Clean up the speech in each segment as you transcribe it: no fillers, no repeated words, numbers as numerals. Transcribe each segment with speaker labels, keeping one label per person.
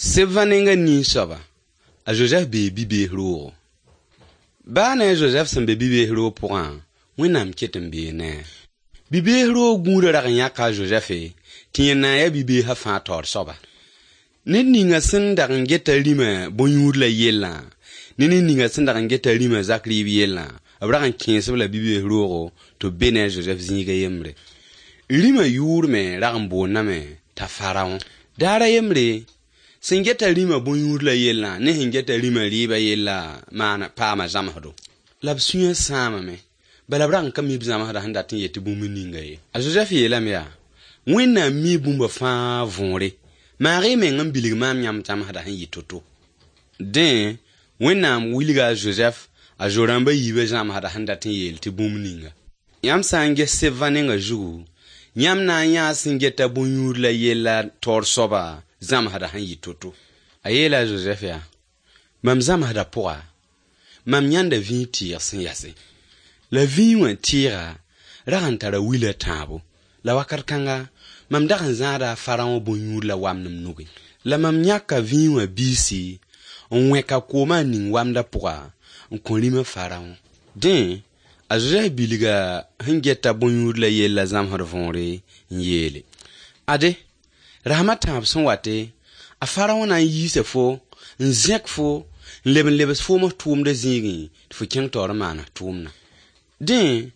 Speaker 1: Sebã nenga nin-soaba, a Zozɛf bee bi-bees roogo. Baa ne a Zozɛf sẽn be bi-bees roog pʋgã, Wẽnnaam ket n bee ne a. Bi-bees roog gũudã rag n yãka a Zozɛfe tɩ yẽ na n yaa bi-beesã fãa taoor soaba. Ned ninga sẽn dag n geta rĩmã bõn-yũud la yellã, ne ned ninga sẽn dag n geta rĩmã zak rɩɩb yellã, b rag n kẽes-b la bi-bees roogo tɩ b be ne a Zozɛf zĩig a yembre. Rĩmã yʋʋr me rag n boondame t'a Faraõ. Daar a yembre, sẽn geta rĩmã bõn-yũud la yellã ne sẽn geta rĩmã rɩɩbã yellã maana paama zãmsdo. La b sũyã sãamame, bala b rag n ka mi b zãmsdã sẽn dat n yet tɩ bũmb ninga ye. A Zozɛf yeelame yaa: Wẽnnaam mi bũmba fãa võore. Maag y meng n bilg maam yãmb zãmsdã sẽn yɩ to-to. Dẽ, Wẽnnaam wilga a Zozɛf a zo-rãmba yiibã zãmsdã sẽn dat n yeel tɩ bũmb ninga. Yãmb sã n ges sebã nenga zugu, yãmb na n yãa sẽn geta bõn-yũud la yella taoor soaba zãmsdã sẽn yɩ to-to. A yeela a Zozɛf yaa: Mam zãmsdã pʋga, mam yãnda vĩig tɩɩg sẽn yase. La vĩig wã tɩɩga rag n tara wila tãabo. La wakat kãnga, mam dag n zãada a Faraõ bõn-yũud la wamd m nugẽ. La mam yãka vĩig wã biisi n wẽka koomã n ning wamdã pʋga n kõ rĩmã Faraõ. Dẽ, a Zozɛf bilga sẽn geta bõn-yũud la yella zãmsd võore n yeele: Ade, rasem a tãab sẽn wate, a Faraõ na n yiisa fo, n zẽk fo, n leb n lebs foom f tʋʋmdã zĩigẽ tɩ fo kẽng taoor n maan f tʋʋmdã. Dẽ,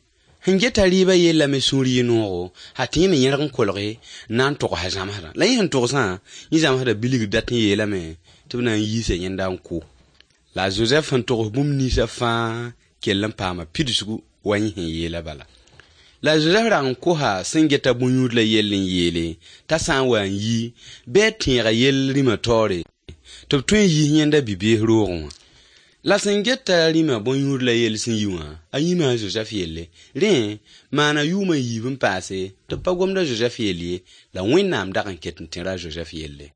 Speaker 1: sẽn geta rɩɩbã yella me sũur yɩ noogo, ha tɩ yẽ me yẽrg n kolge n na n togs a zãmsdã. La yẽ sẽn togsã, yẽ zãmsdã bilgd dat n yeelame tɩ b na n yiisa yẽnda n kʋ. La a Zozɛf sẽn togs bũmb ninsã fãa kell n paama pidsgu wa yẽ sẽn yeela bala. La a Zozɛf rag n kosa sẽn geta bõn-yũud la yell n yeele t'a sã n wa n yi bɩ a tẽega yell rĩmã taoore tɩ b tõe n yiis yẽnda bi-bees roogẽ wã. La sẽn geta rĩmã bõn-yũud la yell sẽn yi wã, a yĩma a Zozɛf yelle. Rẽ, maana yʋʋm a yiib n paase tɩ b pa gomd a Zozɛf yell ye, la Wẽnnaam dag n ket n tẽra a Zozɛf yelle.